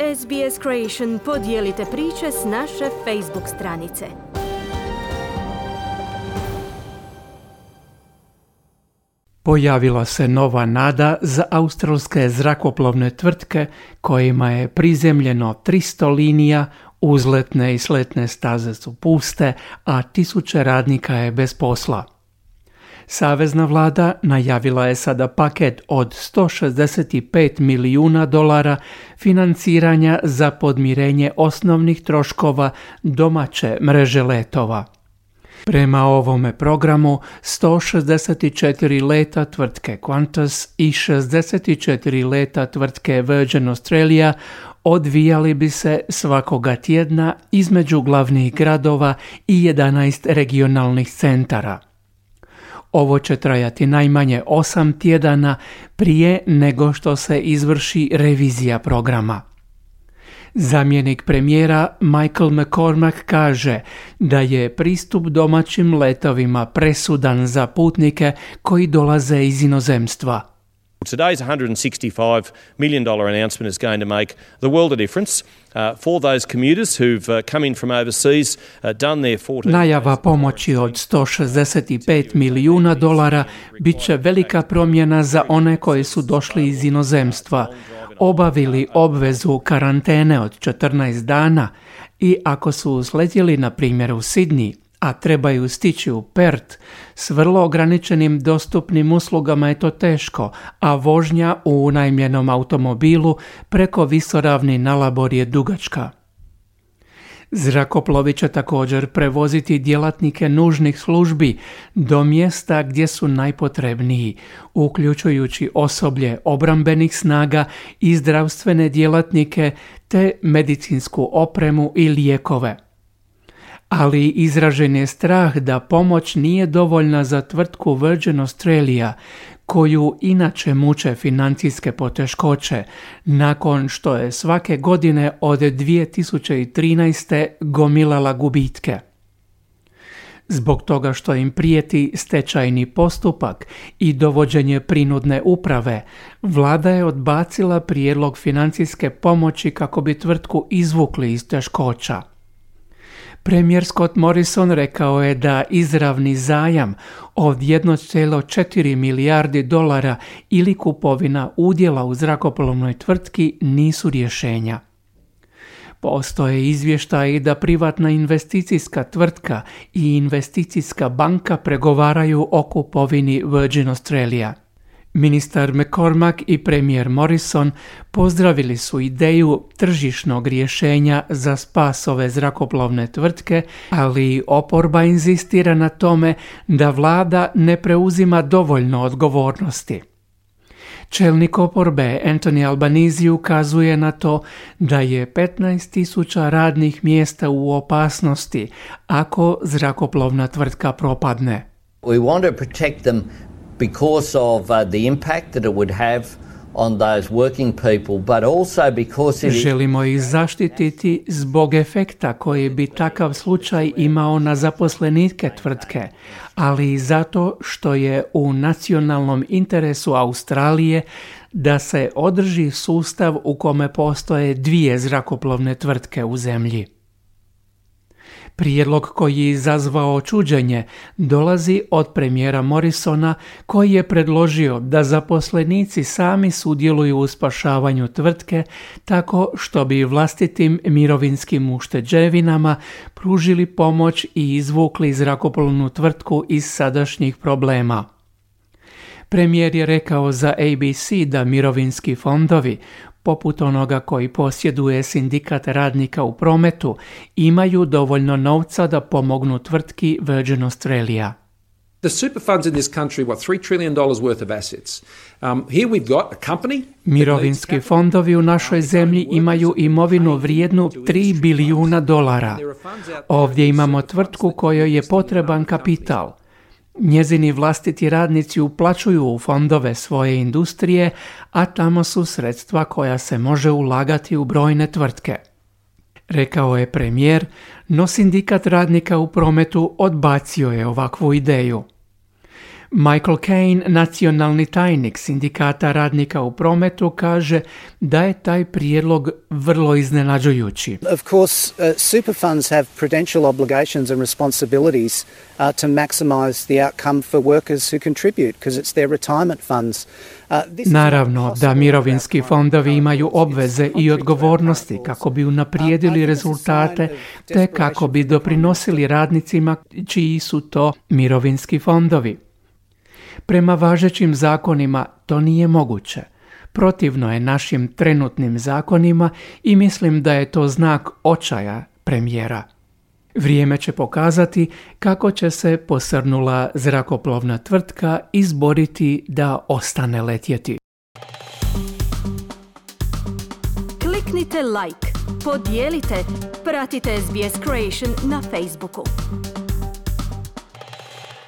SBS Creation podijelite priče s naše Facebook stranice. Pojavila se nova nada za australske zrakoplovne tvrtke kojima je prizemljeno 300 linija, uzletne i sletne staze su puste, a tisuće radnika je bez posla. Savezna vlada najavila je sada paket od $165 milijuna financiranja za podmirenje osnovnih troškova domaće mreže letova. Prema ovome programu 164 leta tvrtke Qantas i 64 leta tvrtke Virgin Australia odvijali bi se svakoga tjedna između glavnih gradova i 11 regionalnih centara. Ovo će trajati najmanje 8 tjedana prije nego što se izvrši revizija programa. Zamjenik premijera Michael McCormack kaže da je pristup domaćim letovima presudan za putnike koji dolaze iz inozemstva. Today's $165 million announcement is going to make the world a difference for those commuters who've come in from overseas, done their 14 Najava pomoći od $165 milijuna bit će velika promjena za one koji su došli iz inozemstva, obavili obvezu karantene od 14 dana i ako su sletjeli na primjer u Sydney, a trebaju stići u Perth, s vrlo ograničenim dostupnim uslugama je to teško, a vožnja u unajmljenom automobilu preko visoravni na Labor je dugačka. Zrakoplovi će također prevoziti djelatnike nužnih službi do mjesta gdje su najpotrebniji, uključujući osoblje obrambenih snaga i zdravstvene djelatnike te medicinsku opremu i lijekove. Ali izražen je strah da pomoć nije dovoljna za tvrtku Virgin Australia, koju inače muče financijske poteškoće, nakon što je svake godine od 2013. gomilala gubitke. Zbog toga što im prijeti stečajni postupak i dovođenje prinudne uprave, vlada je odbacila prijedlog financijske pomoći kako bi tvrtku izvukli iz teškoća. Premijer Scott Morrison rekao je da izravni zajam od $1,4 milijardi ili kupovina udjela u zrakoplovnoj tvrtki nisu rješenja. Postoje izvještaji da privatna investicijska tvrtka i investicijska banka pregovaraju o kupovini Virgin Australia. Ministar McCormack i premijer Morrison pozdravili su ideju tržišnog rješenja za spas ove zrakoplovne tvrtke, ali oporba inzistira na tome da vlada ne preuzima dovoljno odgovornosti. Čelnik oporbe Anthony Albanese ukazuje na to da je 15,000 radnih mjesta u opasnosti ako zrakoplovna tvrtka propadne. We want to protect them because of the impact that it would have on those working people, but also because Želimo ih zaštititi zbog efekta koji bi takav slučaj imao na zaposlenike tvrtke, ali i zato što je u nacionalnom interesu Australije da se održi sustav u kome postoje dvije zrakoplovne tvrtke u zemlji. Prijedlog koji je izazvao čuđenje dolazi od premijera Morrisona, koji je predložio da zaposlenici sami sudjeluju u spašavanju tvrtke tako što bi vlastitim mirovinskim ušteđevinama pružili pomoć i izvukli zrakoplovnu tvrtku iz sadašnjih problema. Premijer je rekao za ABC da mirovinski fondovi, poput onoga koji posjeduje sindikat radnika u prometu, imaju dovoljno novca da pomognu tvrtki Virgin Australia. The super funds in this country, $3 trillion worth of assets. Here we've got a company. Mirovinski fondovi u našoj zemlji imaju imovinu vrijednu $3 bilijuna. Ovdje imamo tvrtku kojoj je potreban kapital. Njezini vlastiti radnici uplaćuju u fondove svoje industrije, a tamo su sredstva koja se može ulagati u brojne tvrtke. Rekao je premijer, no sindikat radnika u prometu odbacio je ovakvu ideju. Michael Kane, nacionalni tajnik sindikata radnika u prometu, kaže da je taj prijedlog vrlo iznenađujući. Of course, super funds have prudential obligations and responsibilities to maximize the outcome for workers who contribute, because it's their retirement funds. Naravno da mirovinski fondovi imaju obveze i odgovornosti kako bi unaprijedili rezultate te kako bi doprinosili radnicima čiji su to mirovinski fondovi. Prema važećim zakonima to nije moguće. Protivno je našim trenutnim zakonima i mislim da je to znak očaja premijera. Vrijeme će pokazati kako će se posrnula zrakoplovna tvrtka izboriti da ostane letjeti. Kliknite like, podijelite, pratite SBS Creation na Facebooku.